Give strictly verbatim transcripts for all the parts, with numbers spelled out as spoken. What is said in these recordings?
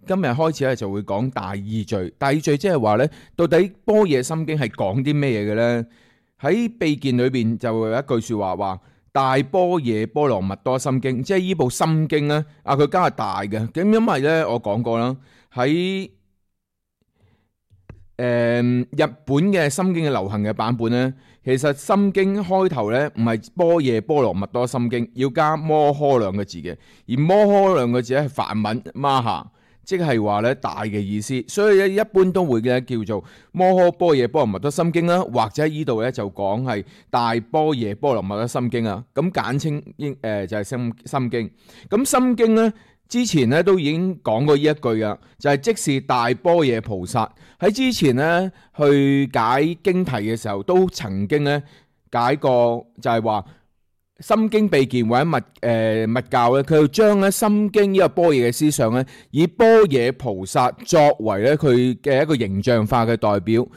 今日開始咧就會講大意序。大意序即係話咧，到底般若心經係講啲咩嘢嘅咧？喺秘見裏邊就會有一句說話話大般若波羅蜜多心經，即係呢部心經咧，啊佢加係大嘅。咁因為咧我講過啦，喺誒、呃、日本嘅心經嘅流行嘅版本咧，其實心經開頭咧唔係般若波羅蜜多心經，要加摩訶兩個字嘅，而摩訶兩個字咧係梵文 Maha， 即係話咧大嘅意思，所以咧一般都會咧叫做摩訶般若波羅蜜多心經啦，或者喺呢度咧就講係大般若波羅蜜多心經啊，咁簡稱應誒就係心心經。咁心經咧之前咧都已經講過呢一句啊，就係、是、即是大般若菩薩。喺之前咧去解經題嘅時候，都曾經咧解過，就係話心經秘見或者密誒、呃、密教咧，佢要將咧心經呢個般若嘅思想咧，以般若菩薩作為咧佢嘅一個形象化嘅代表。誒、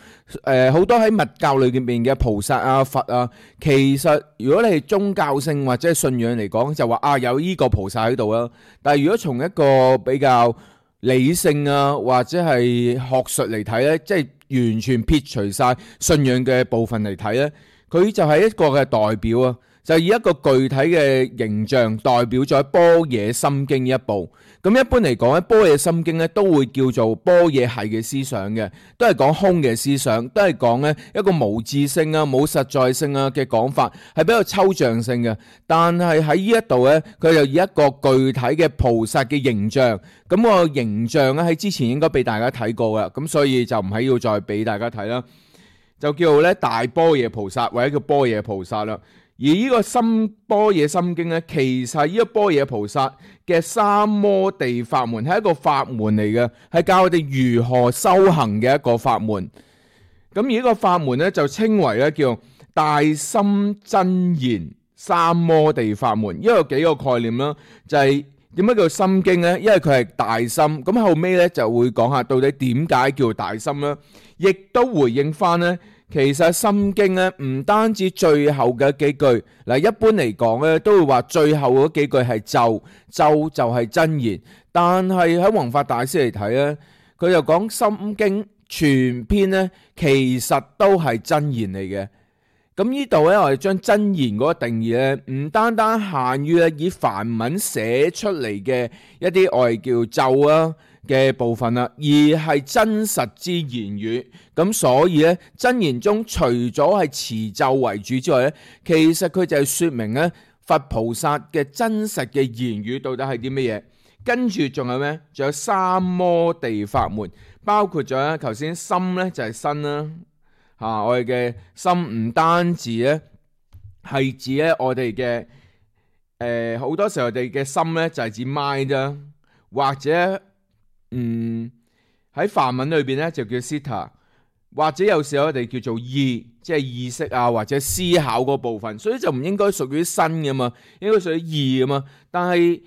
呃、好多喺密教裏面嘅菩薩啊、佛啊，其實如果你係宗教性或者係信仰嚟講，就話啊有呢個菩薩喺度啦。但係如果從一個比較理性啊或者係學術嚟睇咧，即係完全撇除晒信仰嘅部分嚟睇咧，佢就係一個嘅代表啊。就以一個具體嘅形象代表咗般若心經呢一部。咁一般嚟講咧，般若心經咧都會叫做般若系嘅思想嘅，都係講空嘅思想，都係講咧一個無自性啊、冇實在性啊嘅講法，係比較抽象性嘅。但係喺呢一度咧，佢就以一個具體嘅菩薩嘅形象，咁個形象咧喺之前應該俾大家睇過噶，咁所以就唔係要再俾大家睇啦，就叫做咧大般若菩薩或者叫般若菩薩啦。而呢個心般若心經咧，其實呢個般若菩薩嘅三摩地法門係一個法門嚟嘅，係教我哋如何修行嘅一個法門。咁而呢個法門咧就稱為咧叫大心真言三摩地法門。因為有幾個概念啦，就係點解叫心經咧？因為佢係大心。咁後尾咧就會講下到底點解叫大心啦，亦都回應翻咧。其實心經咧唔單止最後嘅幾句，嗱一般嚟講咧都會話最後嗰幾句係咒，咒就係真言。但係喺弘法大師嚟睇咧，佢就講心經全篇咧其實都係真言嚟嘅。咁呢度咧我哋將真言嗰個定義咧，唔單單限於咧以梵文寫出嚟嘅一啲我哋叫咒啊嘅部分啦，而係真實之言語。咁所以咧，真言中除咗係持咒為主之外咧，其實佢就係說明咧佛菩薩嘅真實嘅言語到底係啲乜嘢。跟住仲有咩？仲有三摩地法門，包括咗咧頭先心咧就係身啦，吓、啊、我哋嘅心唔單止咧係指咧我哋嘅誒好多時候我哋嘅心咧就係指 mind 啫，或者嗯喺梵文裏邊咧就叫 citta， 或者有時候我哋叫做意，即係意識啊或者思考嗰部分，所以就唔應該屬於身噶嘛，應該屬於意噶嘛。但係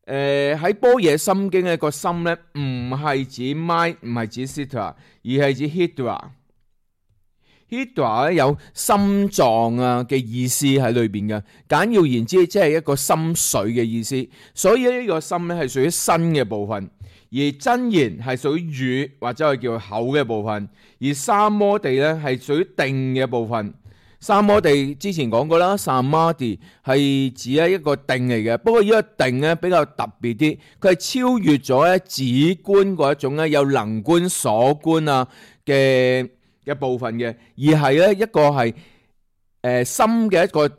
誒喺般若心經嘅個心咧唔係指 mind， 唔係指 citta， 而係指 hidra。hidra 咧有心臟啊嘅意思喺裏邊嘅，簡要言之即係一個心髓嘅意思。所以呢個心咧係屬於身嘅部分。而真言係屬於語或者係叫口嘅部分，而三摩地咧係屬於定嘅部分。三摩地之前講過啦，samadhi係指一個定嚟嘅，不過呢個定咧比較特別啲，佢係超越咗咧止觀嗰一種咧有能觀所觀啊嘅嘅部分嘅，而係咧一個係誒、呃、心嘅一個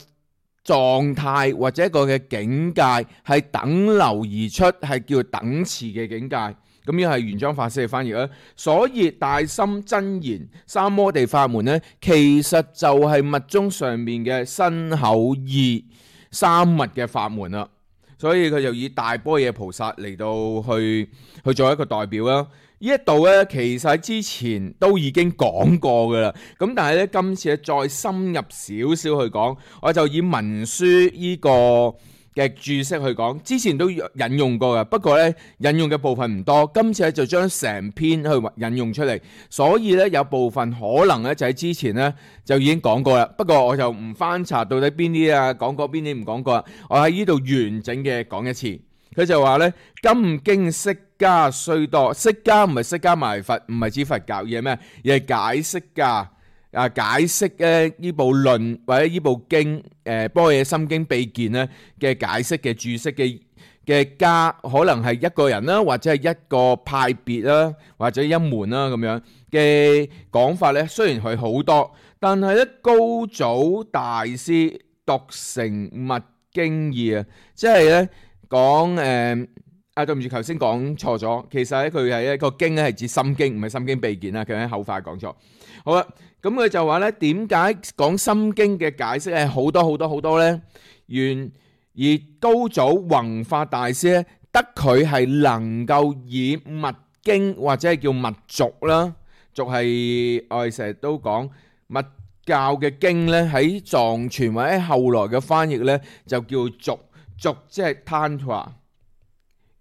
狀態或者一個嘅境界係等流而出，係叫等持嘅境界。咁呢係玄奘法師嘅翻譯啦。所以大心真言三摩地法門咧，其實就係密宗上面嘅身口意三密嘅法門啦。所以佢就以大般若菩薩嚟到去去做一個代表啦。呢一度咧，其實喺之前都已經講過噶啦，咁但係咧今次咧再深入少少去講，我就以文書呢個嘅注釋去講，之前都引用過嘅，不過咧引用嘅部分唔多，今次咧就將成篇去引用出嚟，所以咧有部分可能咧就喺之前咧就已經講過啦，不過我就唔翻查到底邊啲啊講過邊啲唔講過，我喺呢度完整嘅講一次。佢就話咧，今經釋迦雖多，釋迦唔係釋迦牟尼佛，唔係指佛教，而係咩？而係解釋家啊，解釋咧呢部論或者呢部經誒《般若心經秘見》咧嘅解釋嘅注釋嘅嘅家，可能係一個人啦，或者係一個派別啦，或者一門啦咁樣嘅講法咧。雖然佢好多，但係咧高祖大師獨成密經義啊，即係咧講誒啊，對唔住，頭先講錯咗。其實咧佢係一個經咧係指心經，唔係心經秘見啦。佢喺後快講錯。好啦，咁佢就話咧，點解講心經嘅解釋係好多好多好多咧？原而高祖弘法大師咧，得佢係能夠以密經或者係叫密續啦，續係我哋成日都講密教嘅經咧，喺藏傳或者後來嘅翻譯咧就叫續，續即係 Tantra，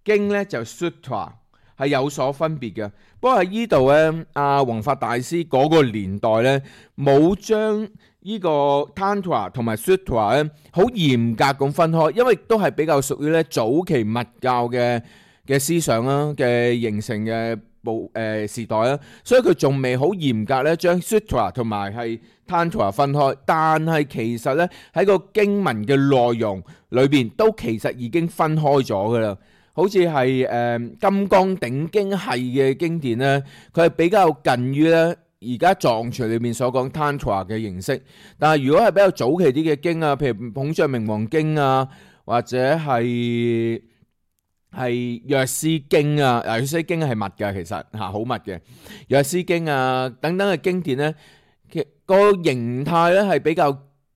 經咧就 Sutra， 係有所分別嘅。不過喺呢度咧，阿弘法大師嗰個年代咧，冇將呢個 Tantra 同埋 Sutra 咧好嚴格咁分開，因為都係比較屬於咧早期密教嘅嘅思想啦嘅形成嘅部誒時代啦，所以佢仲未好嚴格咧將 Sutra 同埋係 Tantra 分開，但係其實咧喺個經文嘅內容裏邊都其實已經分開咗噶啦。好似係誒《金剛頂經》系嘅經典咧，佢係比較近於咧而家藏傳裏面所講 Tantra 嘅形式。但係如果係比較早期啲嘅經啊，譬如《捧著明王經》啊，或者係係《藥師經》啊，《藥師經》係密嘅，其實嚇好密嘅《藥師經》啊等等嘅經典咧，其個形態咧係比較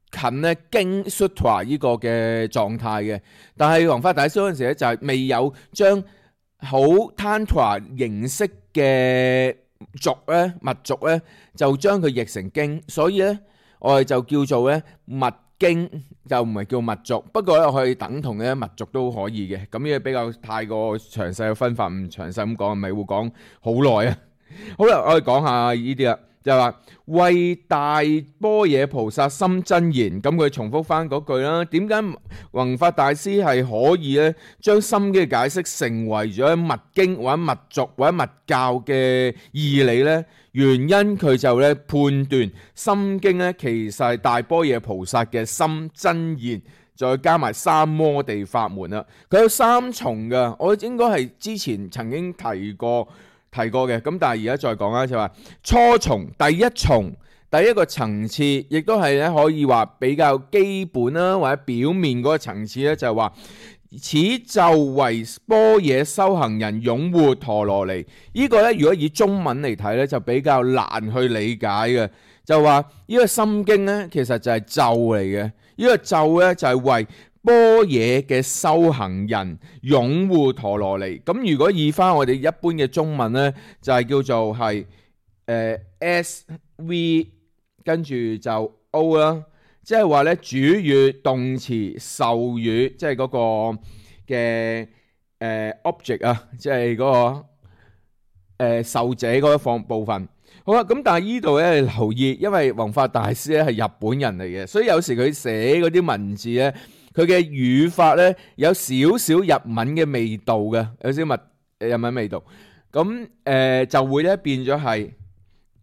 近咧經 Sutra 呢個嘅狀態嘅，但係弘法大師嗰陣時咧就係未有將好 Tantra 形式嘅續咧密續咧，就將佢譯成經，所以咧我哋就叫做咧密經，就唔係叫密續。不過咧我可以等同咧密續都可以嘅，咁呢個比較太過詳細嘅分法，唔詳細咁講，咪會講好耐啊。好啦，我哋講下呢啲啦。就係話為大般若菩薩心真言，咁佢重複翻嗰句啦。點解弘法大師係可以咧將心經嘅解釋成為咗密經或者密續或者密教嘅義理呢？原因佢就咧判斷心經咧其實係大般若菩薩嘅心真言，再加埋三摩地法門啦。佢有三重嘅，我應該係之前曾經提過。提過嘅，咁但係而家再講啦，就話初重第一重第一個層次，亦都係咧可以話比較基本啦，或者表面嗰個層次咧，就係話此就為般若修行人擁護陀羅尼。呢個咧如果以中文嚟睇咧，就比較難去理解嘅。就話呢個心經咧，其實就係咒嚟嘅。呢個咒咧就係為般若嘅修行人擁護陀羅尼。咁如果以翻我哋一般嘅中文呢，就係、是、叫做係誒、呃、S V 跟住就 O 啦，即係話呢主語、動詞、授語，即係嗰個嘅誒、呃、object 啊，即係嗰、那個誒、呃、受者嗰一方部分。好啦，咁但係呢度咧留意，因為弘法大師咧係日本人嚟嘅，所以有時佢寫嗰啲文字咧。佢嘅語法咧有少少日文嘅味道嘅，有少少日日文味道，咁誒、呃、就會咧變咗係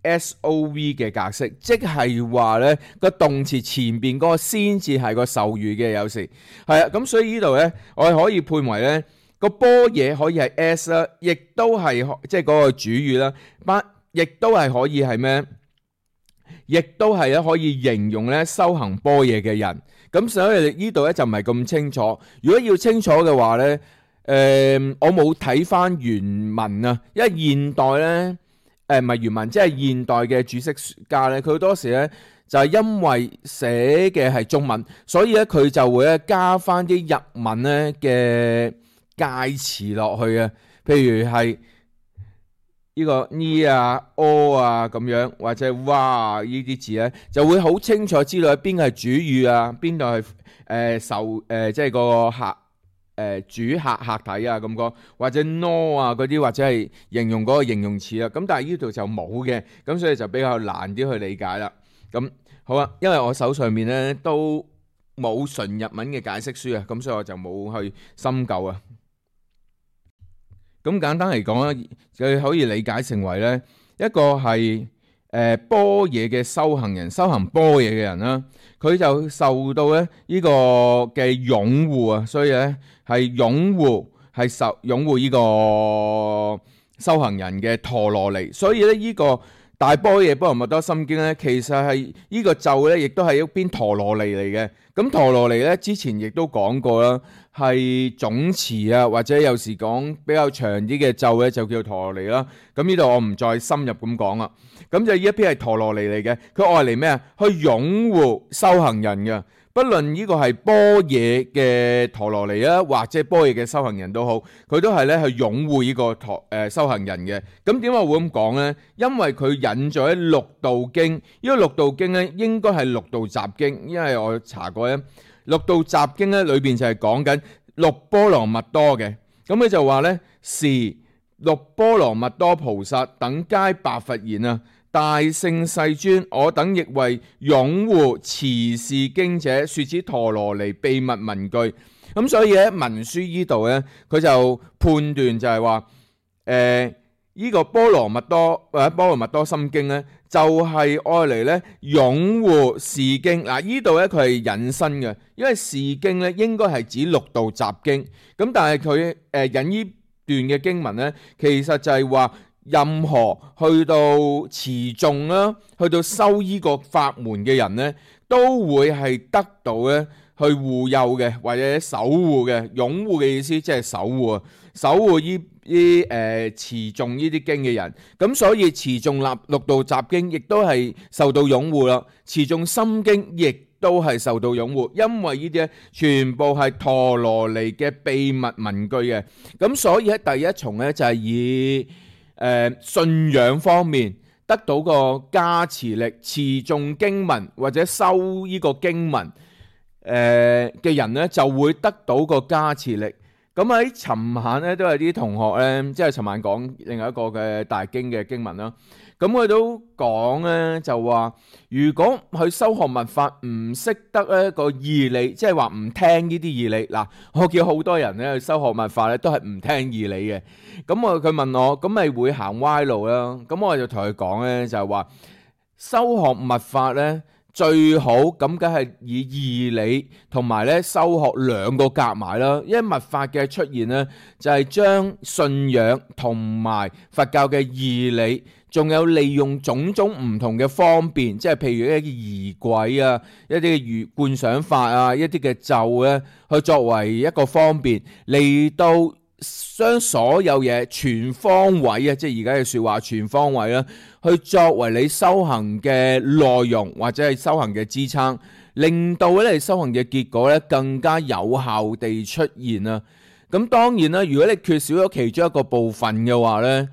S O V 嘅格式，即係話咧個動詞前邊嗰個先至係個授語嘅，有時係啊，咁所以呢度咧我哋可以判為咧個般若可以係 S 啦，亦都係即係嗰個主語啦，班亦都係可以係咩？亦都係咧可以形容咧修行般若嘅人。咁所以呢度咧就唔係咁清楚。如果要清楚嘅話咧，誒、呃、我冇睇翻原文啊，因為現代咧誒唔係原文，即係現代嘅注釋家咧，佢好多時咧就係因為寫嘅係中文，所以咧佢就會咧加翻啲日文咧嘅介詞落去啊，譬如係呢個呢啊、哦啊咁樣，或者哇呢啲字咧，就會好清楚知道邊個係主語啊，邊度係誒受誒即係個客誒、呃、主客客體啊咁講，或者 no 啊嗰啲，或者係形容嗰個形容詞啊。咁但係呢度就冇嘅，咁所以就比較難啲去理解啦。咁好啊，因為我手上面咧都冇純日文嘅解釋書啊，咁所以我就冇去深究啊。咁簡單嚟講咧，佢可以理解成為咧一個係誒般若嘅修行人，修行般若嘅人啦。佢就受到咧呢個嘅擁護啊，所以咧係擁護係受擁護呢個修行人嘅陀羅尼。所以咧呢個大般若波羅蜜多心經咧，其實係呢個咒咧，亦都係一邊陀羅尼嚟嘅。咁陀羅尼咧，之前亦都講過啦，係總詞啊，或者有時講比較長啲嘅咒咧，就叫陀羅尼啦。咁呢度我唔再深入咁講啦。咁就呢一篇係陀羅尼嚟嘅，佢愛嚟咩啊？去擁護修行人嘅。不論呢個係般若嘅陀羅尼啊，或者般若嘅修行人都好，佢都係咧去擁護呢個陀誒修行人嘅。咁點解會咁講呢？因為佢引咗喺六道經，呢、這個六道經咧應該係六道雜經，因為我查過咧，六道雜經咧裏邊就係講緊六波羅蜜多嘅。咁佢就話咧，是六波羅蜜多菩薩等皆白佛言啊。大聖世尊，我等亦為擁護持是經者，說此陀羅尼秘密文句。咁所以喺文書呢度咧，佢就判斷就係話，誒、呃、呢、這個波羅蜜多或者波羅蜜多心經咧，就係愛嚟咧擁護是經。嗱，呢度咧佢係引申嘅，因為是經咧應該係指六道雜經。咁但係佢誒引呢段嘅經文咧，其實就係話。任何去到持誦啦，去到修依個法門嘅人咧，都會係得到咧去護佑嘅，或者守護嘅。擁護嘅意思即係守護啊，守護依啲誒持誦依啲經嘅人。咁所以持誦立六道雜經亦都係受到擁護啦，持誦心經亦都係受到擁護，因為呢啲咧全部係陀羅尼嘅秘密文句嘅。咁所以喺第一重咧就係以誒、呃、信仰方面得到個加持力，持誦經文或者修呢個經文誒嘅、呃、人咧，就會得到個加持力。咁喺尋晚咧都有啲同學咧，即係尋晚講另外一個嘅大經嘅經文啦。咁佢都講咧，就話如果佢修學密法唔識得一個義理，即係話唔聽呢啲義理。嗱，我見好多人咧去修學密法咧，都係唔聽義理嘅。咁我佢問我，咁咪會行歪路啦？咁我就同佢講咧，就係話修學密法咧最好咁，梗係以義理同埋咧修學兩個夾埋啦。因為密法嘅出現咧，就係將信仰同埋佛教嘅義理，仲有利用種種唔同嘅方便，即係譬如一啲儀軌啊、一啲嘅觀想法啊、一啲嘅咒咧，去作為一個方便嚟到將所有嘢全方位啊，即係而家嘅説話全方位啦，去作為你修行嘅內容或者係修行嘅支撐，令到咧你修行嘅結果咧更加有效地出現啊！咁當然啦，如果你缺少咗其中一個部分嘅話咧，誒、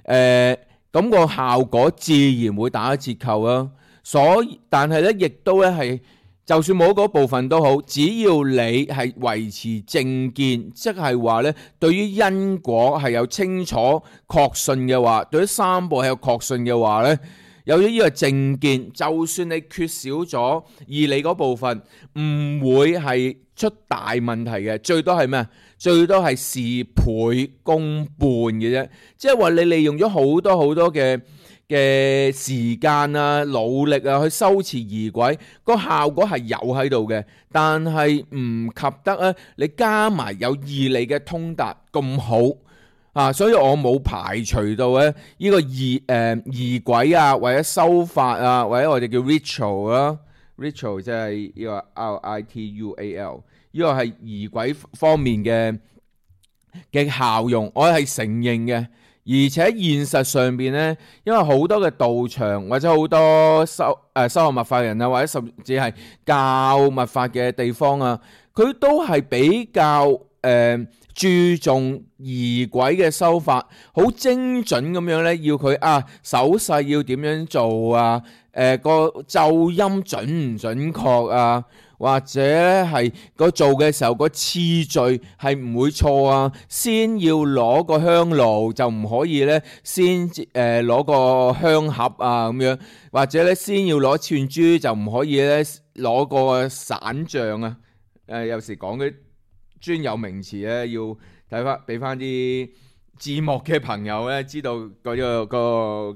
呃。咁個效果自然會打折扣啦。所以，但係咧，亦都咧係，就算冇嗰部分都好，只要你係維持正見，即係話咧，對於因果係有清楚確信嘅話，對於三寶係有確信嘅話咧，有咗呢個正見，就算你缺少咗義理嗰部分，唔會係出大問題嘅。最多係咩？最多係事倍功半嘅啫，即係話你利用咗好多好多嘅嘅時間啊、努力啊去修持儀軌，個效果係有喺度嘅，但係唔及得啊！你加埋有義理嘅通達咁好啊，所以我冇排除到咧呢個儀誒儀軌啊，或者修法啊，或者我哋叫 ritual 啦 ，ritual 即係呢個 R I T U A L。呢個係儀軌方面嘅嘅效用，我係承認嘅。而且現實上邊咧，因為好多嘅道場或者好多修誒修學密法人啊，或者甚至係教密法嘅地方啊，佢都係比較誒、呃、注重儀軌嘅修法，好精準咁樣咧，要佢啊手勢要點樣做啊，誒、呃、個奏音準唔準確啊？或者係個做嘅時候個次序係唔會錯啊，先要攞個香爐就唔可以咧，先誒攞個香盒啊咁樣，或者咧先要攞串珠就唔可以咧攞個散像啊。誒有時講嘅專有名詞咧，要睇翻俾翻啲字幕嘅朋友咧，知道嗰、嗰個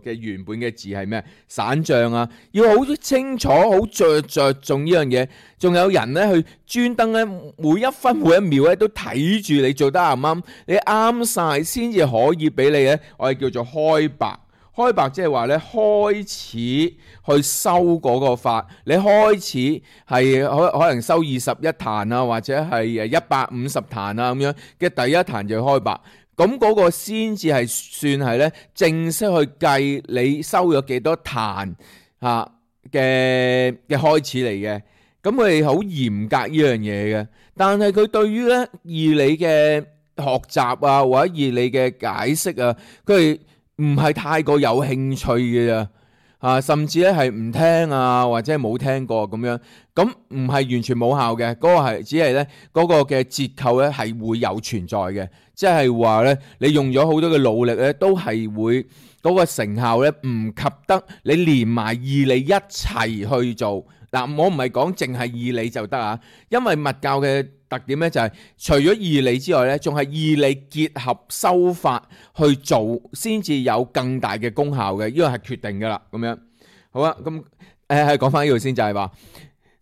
嘅原本嘅字係咩？散像啊，要好清楚、好着着重呢樣嘢。仲有人咧去專登咧，每一分每一秒咧都睇住你做得啱唔啱，你啱晒先至可以俾你咧，我哋叫做開白。開白即係話咧，開始去收嗰個法，你開始係可可能收二十一壇啊，或者係誒一百五十壇啊咁樣嘅第一壇就開白，咁嗰個先至係算係咧正式去計你收咗幾多壇嚇嘅嘅開始嚟嘅。咁佢哋好嚴格呢樣嘢嘅，但係佢對於咧義理嘅學習啊，或者義理嘅解釋啊，佢哋唔係太過有興趣嘅咋，啊，甚至咧係唔聽啊，或者係冇聽過咁樣，咁唔係完全冇效嘅，嗰個係只係咧嗰個嘅折扣咧係會有存在嘅，即係話咧你用咗好多嘅努力咧，都係會嗰個成效咧唔及得你連埋義理一齊去做。嗱，我唔係講淨係義理就得啊，因為密教嘅特點咧就係除咗義理之外咧，仲係義理結合修法去做，先至有更大嘅功效嘅，呢個係決定噶啦。咁樣好啊，咁誒係講翻呢度先，就係話，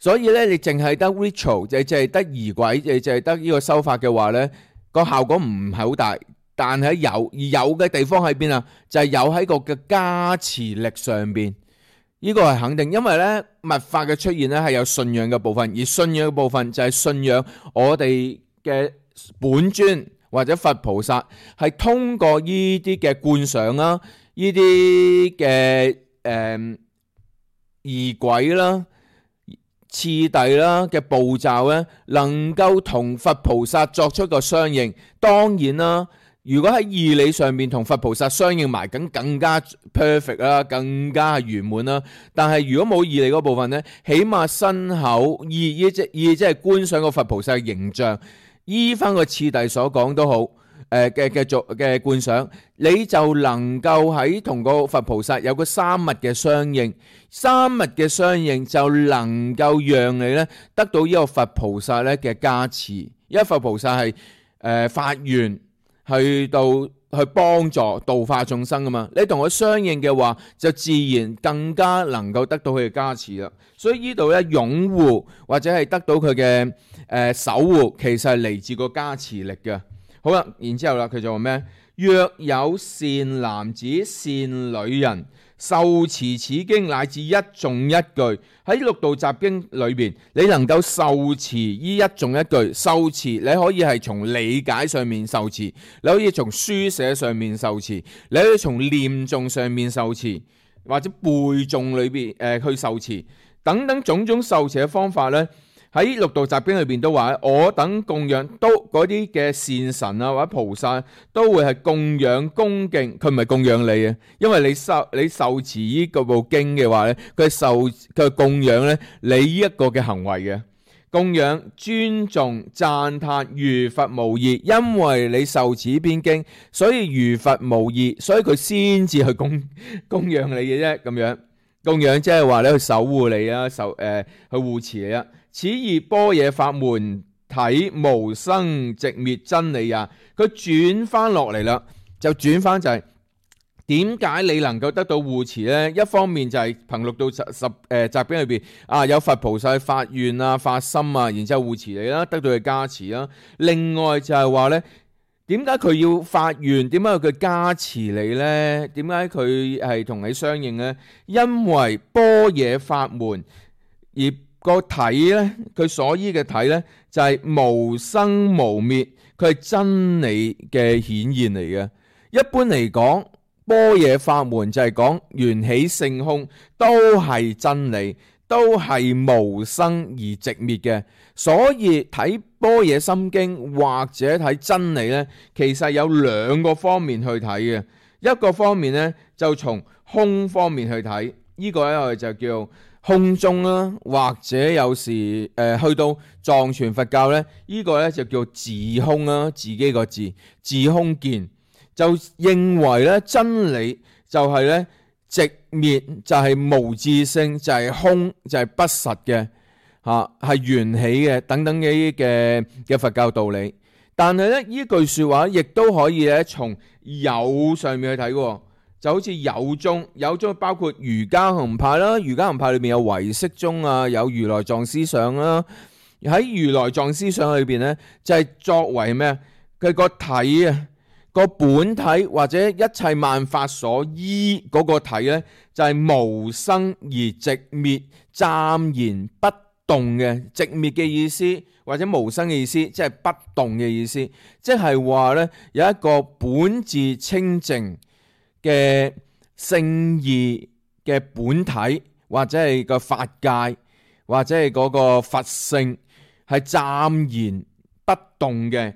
所以咧你淨係得 ritual，就淨係得儀軌，就淨係得呢個修法嘅話咧，個效果唔係好大。但係有而有嘅地方喺邊啊？就係有喺個嘅加持力上邊。呢個係肯定，因為咧密法嘅出現咧係有信仰嘅部分，而信仰嘅部分就係信仰我哋嘅本尊或者佛菩薩係通過呢啲嘅觀想啦、呢啲嘅誒儀軌啦、次第啦嘅步驟咧，能夠同佛菩薩作出個相應。當然啦。如果喺義理上面同佛菩薩相應埋，咁更加 perfect 啦，更加係圓滿啦。但係如果冇義理嗰部分咧，起碼身口意意即意即係觀想個佛菩薩嘅形象，依翻個次第所講都好，誒嘅嘅做嘅觀想，你就能夠喺同個佛菩薩有個三密嘅相應，三密嘅相應就能夠讓你咧得到呢個佛菩薩咧嘅加持，因為佛菩薩係誒發願。去到去幫助度化眾生噶嘛，你同佢相應嘅話，就自然更加能夠得到佢嘅加持啦。所以呢度咧擁護或者係得到佢嘅誒守護，其實係嚟自個加持力嘅。好啦，然之後啦，佢就話咩？若有善男子、善女人受持此經乃至一頌一句，喺六道集經裏邊，你能夠受持依一頌一句，受持你可以係從理解上面受持，你可以從書寫上面受持，你可以從念誦上面受持，或者背誦裏邊誒、呃、去受持，等等種種受持嘅方法呢。喺六道集經裏邊都話，我等供養都嗰啲嘅善神啊或者菩薩都會係供養恭敬，佢唔係供養你嘅，因為你受你受持呢個部經嘅話咧，佢受佢供養咧你呢一個嘅行為嘅供養、尊重、讚歎如佛無異，因為你受持呢篇經，所以如佛無異，所以佢先至去供供養你嘅啫。咁樣供養即係話咧去守護你啊，守誒、呃、去護持你啊。此義般若法門體無生寂滅真理啊！佢轉翻落嚟啦，就轉翻就係點解你能夠得到護持呢？一方面就係憑六道十十誒集經裏邊啊，有佛菩薩發願啊、發心啊，然之後護持你啦，得到佢加持啦。另外就係話呢，點解佢要發願？點解佢加持你呢？點解佢係同你相應呢？因為般若法門而個體咧，佢所依嘅體咧就係無生無滅，佢係真理嘅顯現嚟嘅。一般嚟講，般若法門就係講緣起性空，都係真理，都係無生而寂滅嘅。所以睇般若心經或者睇真理咧，其實有兩個方面去睇嘅。一個方面咧就從空方面去睇，呢個咧我哋就叫空中啦，或者有時誒、呃、去到藏傳佛教咧，呢、這個咧就叫自空啦，自己個字自空見，就認為咧真理就係咧寂滅，就係、是、無自性，就係、是、空，就係、是、不實嘅嚇，係緣起嘅等等嘅嘅嘅佛教道理。但係咧呢句說話亦都可以咧從有上面去睇嘅，就好似有宗，有宗包括儒家學派啦，儒家學派裏面有唯識宗啊，有如來藏思想啦。喺如來藏思想裏邊咧，就係、是、作為咩？佢個體啊，個本體或者一切萬法所依嗰個體咧，就係、是、無生而寂滅、暫然不動嘅。寂滅嘅意思或者無生嘅意思，即係不動嘅意思，即係話咧有一個本自清淨嘅聖義嘅本體，或者係個法界，或者係嗰個佛性，係暫然不動嘅，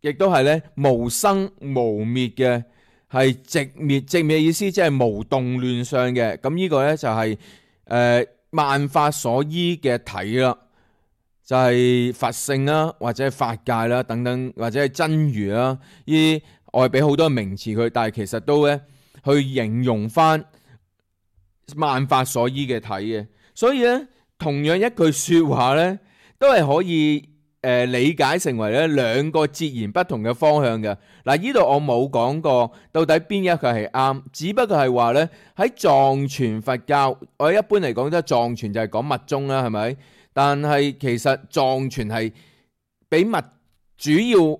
亦都係咧無生無滅嘅，係寂滅。寂滅嘅意思即係無動亂相嘅。咁呢個咧就係、是、誒、呃、萬法所依嘅體啦，就係、是、佛性啦，或者係法界啦等等，或者係真如啦。呢我係俾好多名詞佢，但係其實都咧去形容翻萬法所依嘅體嘅。所以咧，同樣一句說話咧，都係可以誒、呃、理解成為咧兩個截然不同嘅方向嘅。嗱，呢度我冇講過到底邊一個係啱，只不過係話咧喺藏傳佛教，我一般嚟講都係藏傳就係講密宗啦，係咪？但係其實藏傳係比密主要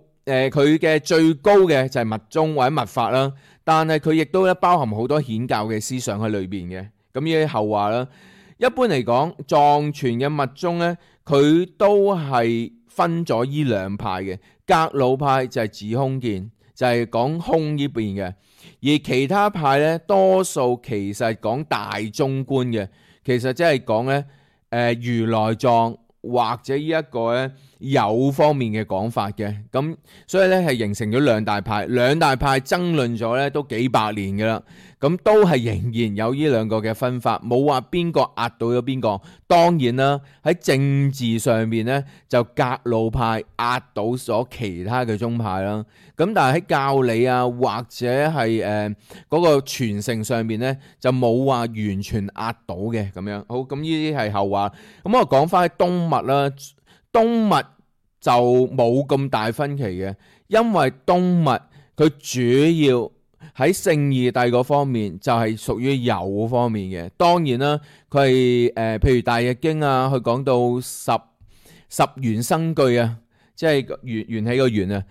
誒佢嘅最高嘅就係密宗或者密法啦，但係佢亦都咧包含好多顯教嘅思想喺裏邊嘅。咁呢啲後話啦。一般嚟講，藏傳嘅密宗咧，佢都係分咗依兩派嘅。格魯派就係指空見，就係、是、講空呢邊嘅；而其他派咧，多數其實講大中觀嘅，其實即係講咧誒如來藏或者呢一個咧有方面嘅講法嘅。咁所以咧係形成咗兩大派，兩大派爭論咗咧都幾百年噶啦。咁都係仍然有呢兩個嘅分法，冇話邊個壓倒咗邊個。當然啦，喺政治上面咧，就格魯派壓倒咗其他嘅宗派啦。咁但係喺教理啊，或者係誒嗰個傳承上面咧，就冇話完全壓倒嘅咁樣。好，咁呢啲係後話。咁我講翻喺東密啦，東密就冇咁大分歧嘅，因為東密佢主要喺聖義諦嗰方面就係屬於有方面嘅。當然啦，佢係誒譬如大日經啊，佢講到十十緣生具啊，即係緣緣起個緣啊，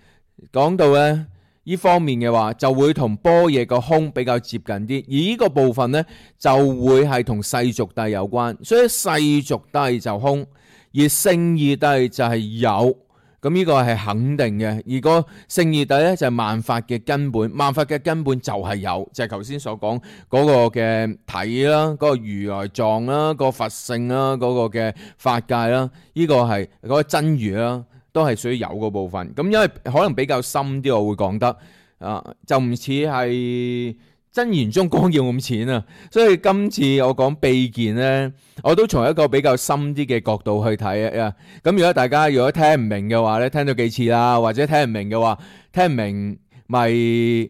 講到咧呢方面嘅話，就會同般若個空比較接近啲。而呢個部分咧就會係同世俗諦有關，所以世俗諦就空，而聖義諦就係有。咁呢個係肯定嘅，而個聖義諦咧就係萬法嘅根本，萬法嘅根本就係有，就係頭先所講嗰個嘅體啦，嗰個如來藏啦，嗰個佛性啦，嗰個嘅法界啦，呢個係嗰個真如啦，都係屬於有個部分。咁因為可能比較深啲，我會講得啊，就唔似係真言宗光耀咁淺啊，所以今次我講秘見咧，我都從一個比較深啲嘅角度去睇啊。咁如果大家如果聽唔明嘅話咧，聽咗幾次啦，或者聽唔明嘅話，聽唔明咪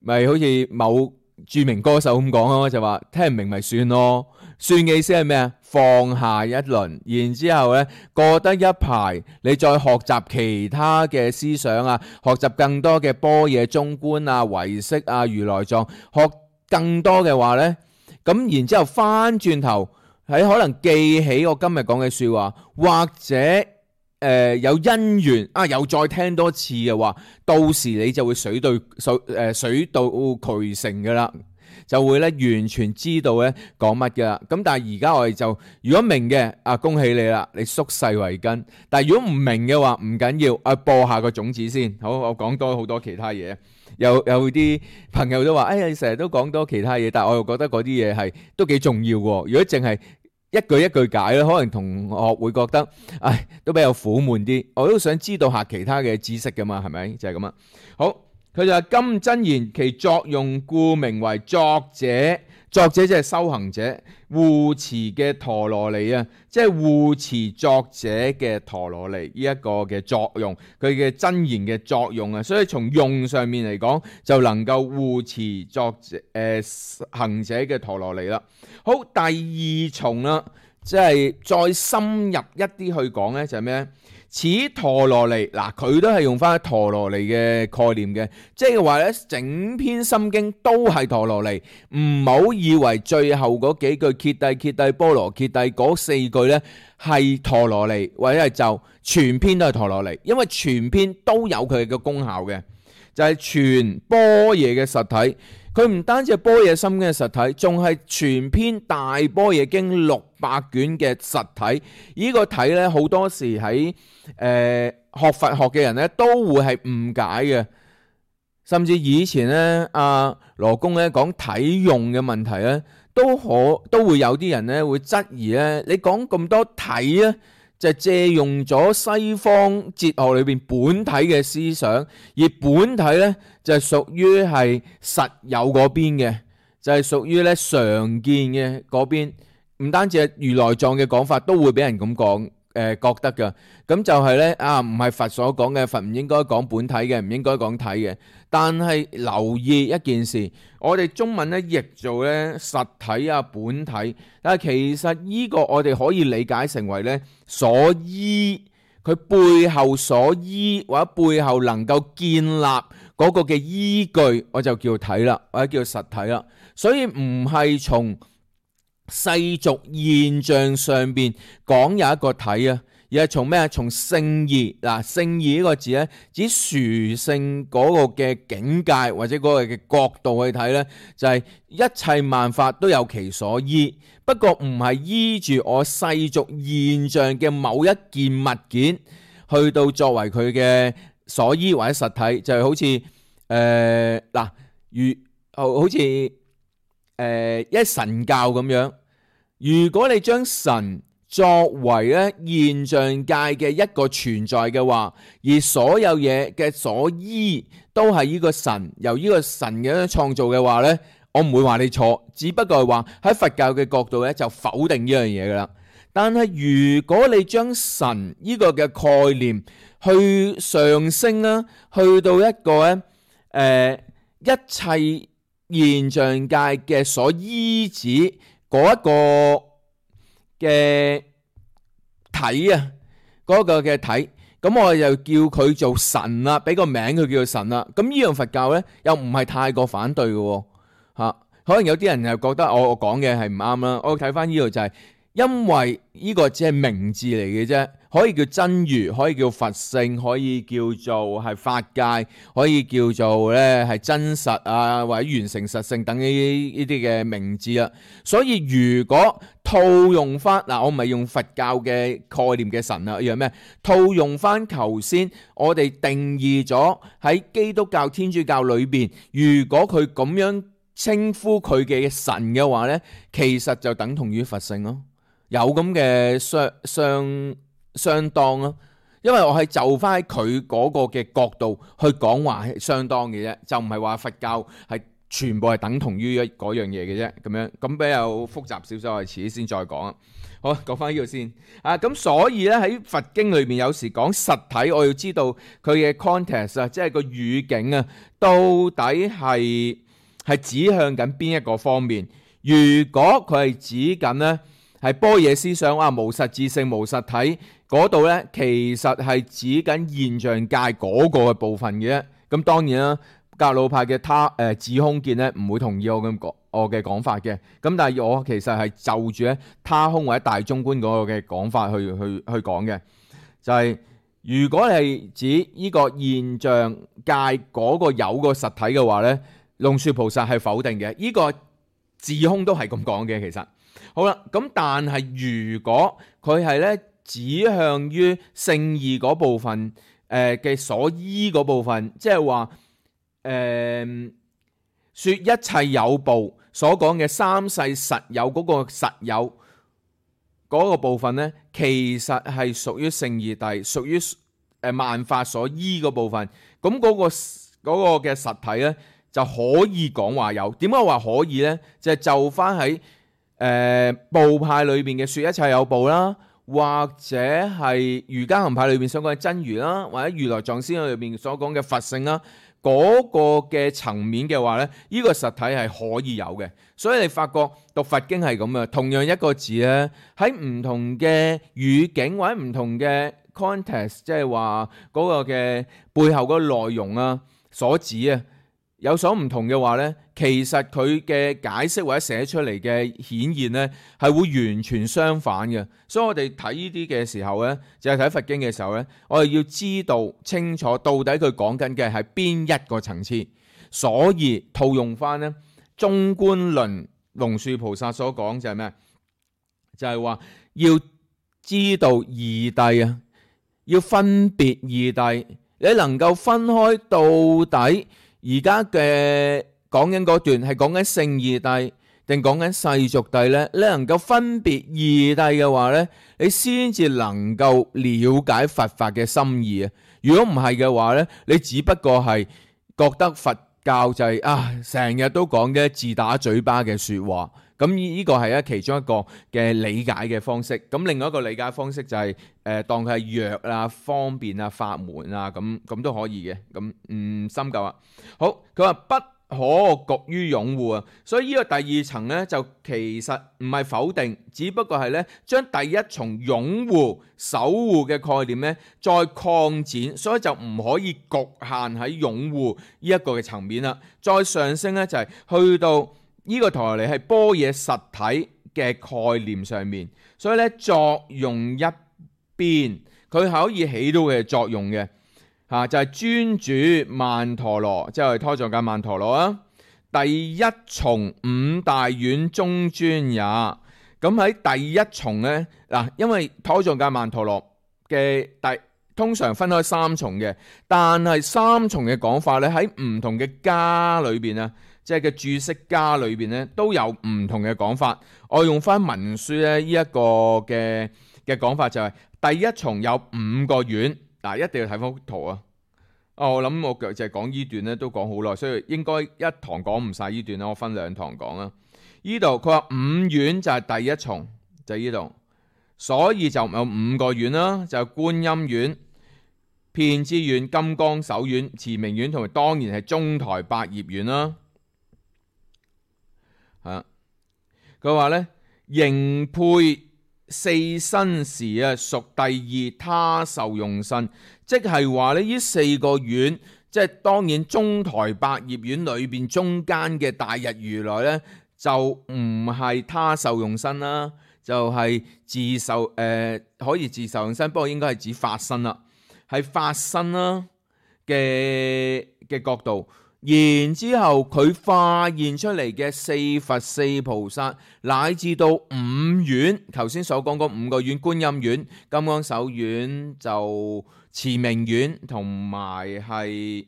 咪好似某著名歌手咁講咯，就話聽唔明咪算咯。算嘅意思係咩啊？放下一輪，然之後咧過得一排，你再學習其他嘅思想啊，學習更多嘅般若中觀啊、唯識啊、如來藏，學更多嘅話咧，咁然之後翻轉頭喺可能記起我今日講嘅說話，或者誒、呃、有因緣啊，又再聽多次嘅話，到時你就會水到水誒水到渠成噶啦。就會咧完全知道咧講乜嘅啦。咁但係而家我哋就如果明嘅啊，恭喜你啦，你縮細為根。但係如果唔明嘅話，唔緊要，啊播下個種子先。好，我講多好多其他嘢。有有啲朋友都話，哎呀，你成日都講多其他嘢，但係我又覺得嗰啲嘢係都幾重要喎。如果淨係一句一句解咧，可能同學會覺得，唉，都比較苦悶啲。我都想知道下其他嘅知識噶嘛，係咪？就係咁啊。好。佢就話金真言其作用故名為作者，作者即係修行者，護持嘅陀羅尼啊，即係護持作者嘅陀羅尼呢一個嘅作用，佢嘅真言嘅作用啊，所以從用上面嚟講，就能夠護持作者誒、呃、行者嘅陀羅尼啦。好，第二重啦，即係再深入一啲去講咧，就係咩咧？此陀羅尼，嗱佢都係用翻陀羅尼嘅概念嘅，即係話咧整篇心經都係陀羅尼，唔好以為最後嗰幾句揭諦揭諦波羅揭諦嗰四句咧係陀羅尼或者係咒，全篇都係陀羅尼，因為全篇都有佢嘅功效嘅，就係全般若嘅實體。佢唔單止係般若心經嘅實體，仲係全篇大般若經六百卷嘅實體。呢、這個體咧，好多時喺誒、呃、學佛學嘅人咧，都會係誤解嘅。甚至以前咧，阿羅公咧講體用嘅問題咧，都可都會有啲人咧會質疑咧，你講咁多體啊？就借用咗西方哲學裏邊本體嘅思想，而本體咧就係屬於係實有嗰邊嘅，就係屬於咧常見嘅嗰邊。唔單止係如來藏嘅講法，都會俾人咁講，誒、呃、覺得㗎。咁就係咧啊，唔係佛所講嘅，佛唔應該講本體嘅，唔應該講體嘅。但係留意一件事，我哋中文咧譯做咧實體啊本體，但係其實呢個我哋可以理解成為咧所依，佢背後所依或者背後能夠建立嗰個嘅依據，我就叫體啦，或者叫實體啦。所以唔係從世俗現象上邊講有一個體啊。而係從咩啊？從聖義嗱，聖義呢個字咧，指殊勝嗰個嘅境界或者嗰個嘅角度去睇咧，就係、是、一切萬法都有其所依，不過唔係依住我世俗現象嘅某一件物件去到作為佢嘅所依或者實體，就係、是、好似誒嗱，如好似誒、呃、一神教咁樣，如果你將神作為咧現象界嘅一個存在嘅話，而所有嘢嘅所依都係呢個神由呢個神嘅創造嘅話呢，我唔會話你錯，只不過係話喺佛教嘅角度咧就否定呢樣嘢噶啦。但係如果你將神呢個嘅概念去上升啦，去到一個咧誒、呃、一切現象界嘅所依止嗰一個嘅體啊，嗰個嘅體，咁我就叫佢做神啦，俾個名佢叫做神啦。咁呢樣佛教咧，又唔係太過反對嘅吓，可能有啲人又覺得我我講嘅係唔啱啦。我睇翻呢度就係，因為呢個只係名字嚟嘅啫，可以叫真如，可以叫佛性，可以叫做係法界，可以叫做咧係真實啊，或者完成實性等呢呢啲嘅名字啊。所以如果套用翻嗱，我唔係用佛教嘅概念嘅神啊，而係咩？套用翻頭先我哋定義咗喺基督教、天主教裏邊，如果佢咁樣稱呼佢嘅神嘅話咧，其實就等同於佛性咯。有咁嘅相相相當咯，因為我係就翻喺佢嗰個嘅角度去講話係相當嘅啫，就唔係話佛教係全部係等同於一嗰樣嘢嘅啫，咁樣咁比較複雜少少，我哋遲啲先再講啊。好，講翻呢度先啊。咁所以咧喺佛經裏面有時講實體，我要知道佢嘅 context 啊，即係個語境啊，到底係係指向緊邊一個方面？如果佢係指緊呢，係般若思想啊，無實質性、無實體嗰度呢，其實係指緊現象界嗰個嘅部分嘅。咁當然啦，格魯派嘅他誒智空見呢，唔會同意我咁講我嘅講法嘅。咁但係我其實係就住咧他空或者大中觀嗰個嘅講法去去去講嘅，就係、是、如果係指呢個現象界嗰個有個實體嘅話呢，龍樹菩薩係否定嘅。呢、這個智空都係咁講嘅，其實。好啦，咁但係如果佢係咧指向於聖義嗰部分，誒嘅所依嗰部分，即係話誒說一切有部所講嘅三世實有嗰個實有嗰個部分咧，其實係屬於聖義諦，屬於誒萬法所依嗰部分。咁嗰個嗰個嘅實體咧就可以講話有。點解話可以咧？就係就翻喺誒、呃、部派裏邊嘅說一切有部啦，或者係瑜伽行派裏邊所講嘅真如啦，或者如來藏思想裏邊所講嘅佛性啦，嗰、那個嘅層面嘅話咧，呢、這個實體係可以有嘅。所以你發覺讀佛經係咁嘅，同樣一個字咧，喺唔同嘅語境或者唔同嘅 context， 即係話嗰個嘅背後嗰個內容啊所指啊有所唔同嘅話咧，其實佢嘅解釋或者寫出嚟嘅顯現咧係會完全相反嘅。所以我哋睇呢啲嘅時候咧，就係睇佛經嘅時候咧，我哋要知道清楚到底佢講緊嘅係邊一個層次。所以套用翻咧中觀論龍樹菩薩所講就係咩？就係話要知道義諦啊，要分別義諦。你能夠分開到底而家嘅講緊嗰段係講緊聖義諦定講緊世俗諦呢？你能夠分別義諦嘅話呢，你先至能夠了解佛法嘅心意啊！如果唔係嘅話呢，你只不過係覺得佛教就係、是、啊，成日都講嘅自打嘴巴嘅說話。咁呢個係其中一個嘅理解嘅方式。咁另外一個理解方式就係、是、誒、呃、當佢係藥啊、方便啊、法門啊，咁咁都可以嘅。咁唔深究啊。好，佢話不可局於擁護啊。所以呢個第二層呢，就其實唔係否定，只不過係呢將第一重擁護、守護嘅概念呢再擴展，所以就唔可以局限喺擁護呢一個嘅層面啦。再上升呢，就係、是、去到呢個陀羅尼係般若實體嘅概念上面，所以咧作用一邊，佢可以起到嘅作用嘅嚇，就係、是、專主曼陀羅，即係胎藏界曼陀羅啊。第一重五大院中尊也。咁喺第一重咧嗱，因為胎藏界曼陀羅嘅第通常分開三重嘅，但係三重嘅講法咧喺唔同嘅家裏邊啊。即係嘅注釋家裏邊咧都有唔同嘅講法。我用翻文書咧呢一個嘅嘅講法就係、是、第一重有五個院嗱，一定要睇翻幅圖啊！哦，我諗我就係講呢段咧都講好耐，所以應該一堂講唔晒呢段啦，我分兩堂講啦。呢度佢話五院就係第一重，就係呢度，所以就有五個院啦，就係觀音院、遍知院、金剛手院、持明院同埋當然係中台百葉院啦。佢話咧，形配四身時啊，屬第二他受用身，即係話咧呢四個院，即係當然中台百葉院裏邊中間嘅大日如來咧，就唔係他受用身啦，就係、是、自受誒、呃、可以自受用身，不過應該係指法身啦，係法身啦嘅嘅角度。然之後佢化現出嚟嘅四佛四菩薩，乃至到五院，頭先所講嗰五個院，觀音院、金剛手院、就持明院同埋係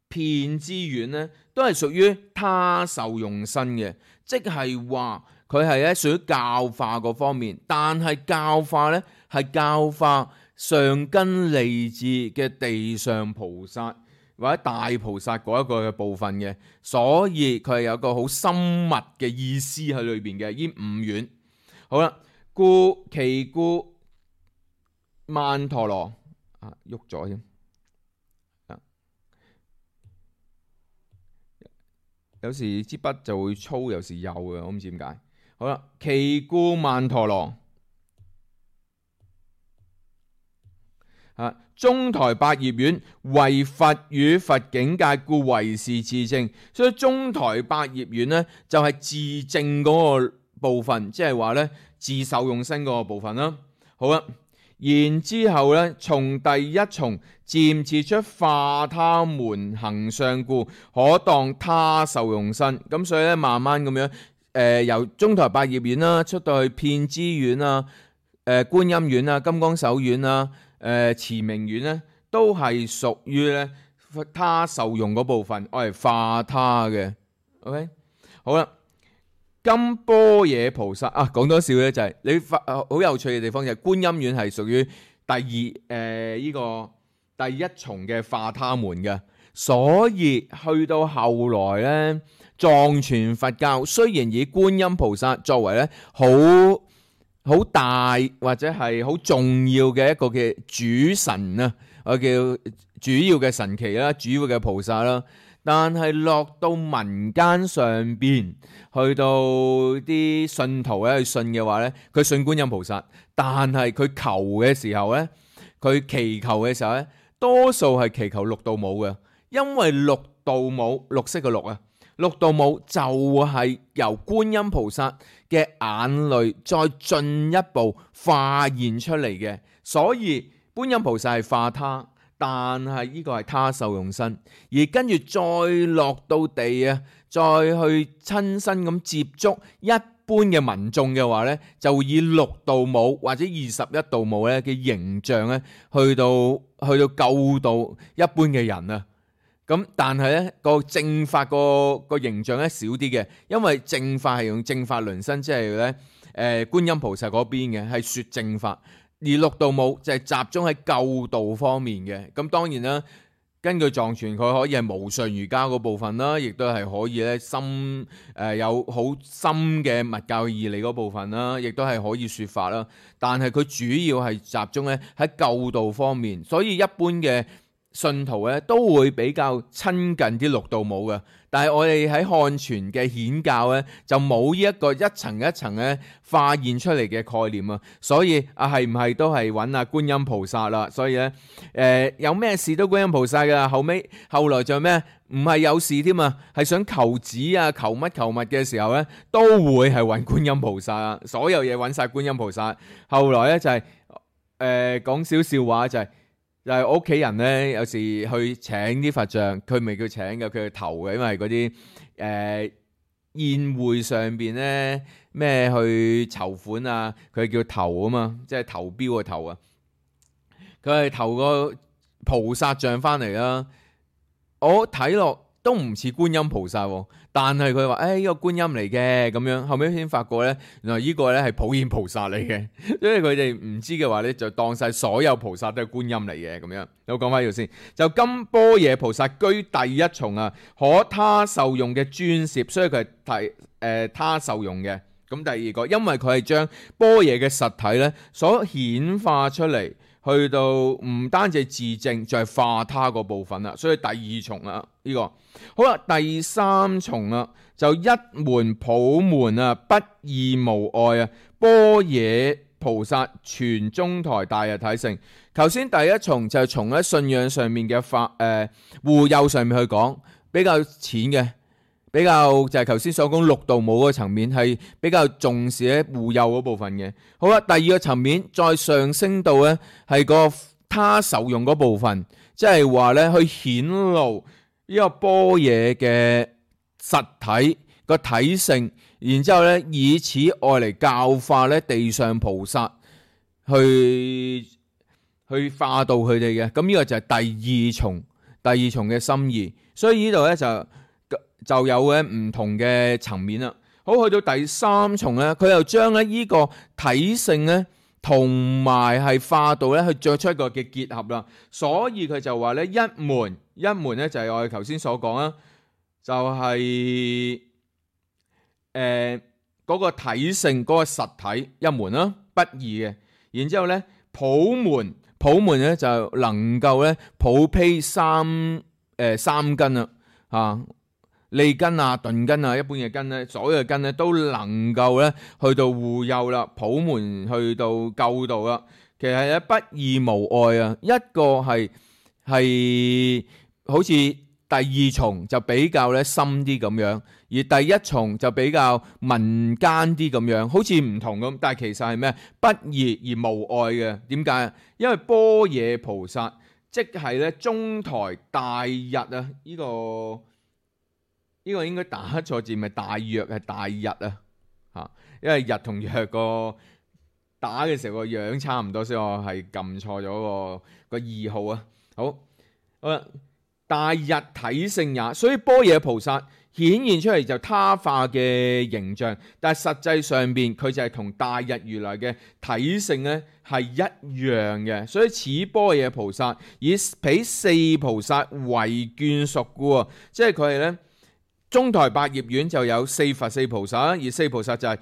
遍知院呢，都係屬於他受用身嘅，即係話佢係咧屬於教化嗰方面，但係教化呢係教化上根利智嘅地上菩薩或者大菩薩嗰一個嘅部分嘅，所以佢係有個好深密嘅意思喺裏邊嘅。呢五院好啦，故其故曼陀羅啊，喐咗添，有時支筆就會粗，有時幼嘅，我唔知點解。好啦，其故曼陀羅啊，中台百葉院為佛與佛境界，故為是自證。所以中台百葉院呢，就係、是、自證嗰個部分，即係話呢自受用身嗰個部分啦。好啦，然之後呢，從第一重漸次出化他門行相故，可當他受用身。咁所以咧，慢慢咁樣誒、呃，由中台百葉院啦，出到去遍知院啊、誒、呃、觀音院啊、金剛手院啊。誒、呃、持明院咧，都係屬於咧他受用嗰部分，我係化他嘅。OK， 好啦，金般若菩薩啊，講多少咧就係、是、你發好、呃、有趣嘅地方就係觀音院係屬於第二誒呢、呃這個第一重嘅化他門嘅，所以去到後來咧藏傳佛教雖然以觀音菩薩作為咧好好大或者係好重要嘅一個嘅主神啊，我叫主要嘅神祇啦，主要嘅菩薩啦。但係落到民間上邊，去到啲信徒咧去信嘅話咧，佢信觀音菩薩，但係佢求嘅時候咧，佢祈求嘅時候咧，多數係祈求六道母嘅，因為六道母，綠色嘅綠啊，六道母就係由觀音菩薩嘅眼淚再進一步化現出嚟嘅，所以觀音菩薩係化他。但係呢個係他受用身，而跟住再落到地啊，再去親身咁接觸一般嘅民眾嘅話呢，就以六道母或者二十一道母咧嘅形象咧，去到去到救度一般嘅人啊。咁但係呢個正法個個形象咧少啲嘅，因為正法係用正法輪身，即係咧誒觀音菩薩嗰邊嘅係說正法。而六道母就係集中喺救度方面嘅，咁當然啦，根據藏傳佢可以係無上瑜伽嗰部分啦，亦都係可以咧深誒、呃、有好深嘅密教義理嗰部分啦，亦都係可以說法啦。但係佢主要係集中咧喺救度方面，所以一般嘅信徒咧都會比較親近啲六道母嘅。但係我哋喺漢傳嘅顯教咧，就冇呢一個一層一層咧化現出嚟嘅概念啊，所以啊係唔係都係揾阿觀音菩薩啦？所以咧誒、呃、有咩事都觀音菩薩噶，後尾後來就咩？唔係有事添啊，係想求子啊、求乜求物嘅時候咧，都會係揾觀音菩薩啊，所有嘢揾晒觀音菩薩。後來咧就係誒講少笑話就係、是。就係我屋企人咧，有時去請啲佛像，佢唔係叫請嘅，佢係投嘅，因為嗰啲誒宴會上邊咧咩去籌款啊，佢係叫投啊嘛，即係投標嘅投啊。佢係投個菩薩像翻嚟啦，我睇落都唔似觀音菩薩喎，但係佢話誒呢個觀音嚟嘅咁樣，後尾先發覺咧，原來呢個咧係普賢菩薩嚟嘅，因為佢哋唔知嘅話咧，就當晒所有菩薩都係觀音嚟嘅咁樣。我講翻呢度先，就金般若菩薩居第一重啊，可他受用嘅專攝，所以佢係提誒他受用嘅。咁第二個，因為佢係將般若嘅實體咧所顯化出嚟。去到唔單止自證，就係、是、化他個部分啦，所以第二重啦呢、這個好啦，第三重啦就一門普門啊，不二無礙啊，般若菩薩全中台大日體性。頭先第一重就係從喺信仰上面嘅法誒護佑上面去講，比較淺嘅。比較就係頭先所講六道母嗰個層面係比較重視喺護佑嗰部分嘅。好啦，第二個層面再上升到咧係個他受用嗰部分，即係話咧去顯露呢個般若嘅實體個體性，然之後咧以此愛嚟教化咧地上菩薩去去化導佢哋嘅。咁呢個就係第二重第二重嘅心意。所以呢度咧就。就有嘅唔同嘅層面啦。好，去到第三重咧，佢又將咧呢個體性咧同埋係化導咧去作出一個嘅結合啦。所以佢就話咧一門一門咧就係我哋頭先所講啦，就係誒嗰個體性嗰、嗰個實體一門啦，不二嘅。然之後咧普門普門咧就能夠咧普披三誒、呃、三根啦啊。利根啊、鈍根啊、一般嘅根咧，所有嘅根咧都能夠咧去到護佑啦，普門去到救度啦。其實咧不二無礙啊，一個係係好似第二重就比較咧深啲咁樣，而第一重就比較民間啲咁樣，好似唔同咁，但係其實係咩？不二而無礙嘅。點解？因為般若菩薩即係咧中台大日啊，呢、這個。呢個應該打錯字，咪大約係大日啊嚇，因為日同藥個打嘅時候個樣差唔多，所以我係撳錯咗個個二號啊。好，好啦，大日體性也，所以般若菩薩顯現出嚟就他化嘅形象，但係實際上邊佢就係同大日如來嘅體性咧係一樣嘅，所以此般若菩薩以彼四菩薩為眷屬故啊，即係佢係咧。中台百葉院就有四佛四菩薩，而四菩薩就係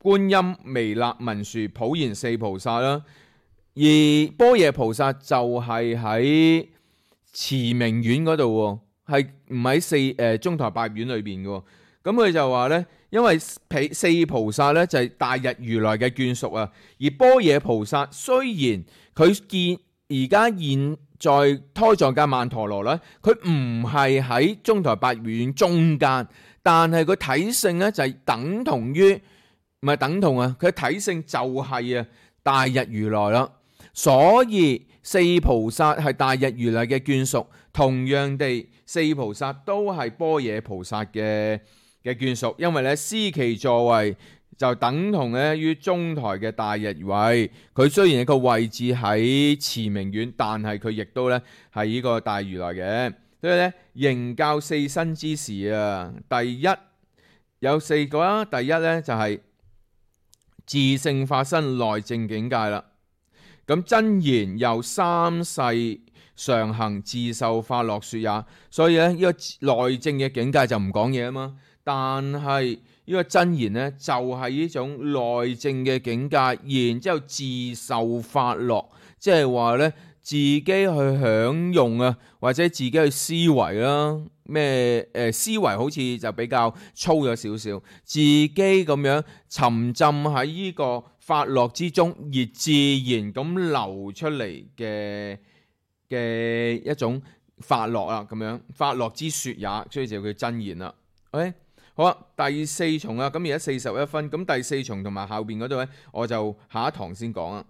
觀音、彌勒、文殊、普賢四菩薩啦。而般若菩薩就係喺慈明院嗰度，係唔喺四誒、呃、中台八院裏邊嘅。咁佢就話咧，因為四菩薩咧就係大日如來嘅眷屬啊，而般若菩薩雖然佢見而家現在胎藏界曼陀羅咧，佢唔係喺中台八院中間，但係佢體性咧就係等同於唔係等同啊，佢體性就係啊大日如來啦。所以四菩薩係大日如來嘅眷屬，同樣地四菩薩都係般若菩薩嘅嘅眷屬，因為咧司其座位就等同咧於中台嘅大日位。佢雖然一個位置喺慈明院，但係佢亦都咧係呢個大如來嘅。所以咧形教四身之時啊，第一有四個啦。第一咧就係自性法身內證境界啦。咁真言由三世常行自受法樂說也。所以咧呢個內證嘅境界就唔講嘢啊嘛。但係呢個真言呢，就係呢種內證嘅境界，然之後自受法樂，即係話呢，自己去享用啊，或者自己去思維啦，咩誒思維好似就比較粗咗少少，自己咁樣沉浸喺呢個法樂之中，而自然咁流出嚟嘅嘅一種法樂啊，咁樣法樂之說也，所以就叫真言啦。OK。好啊，第四重啊，咁而家四十一分，咁第四重同埋後邊嗰度咧，我就下一堂先講啊。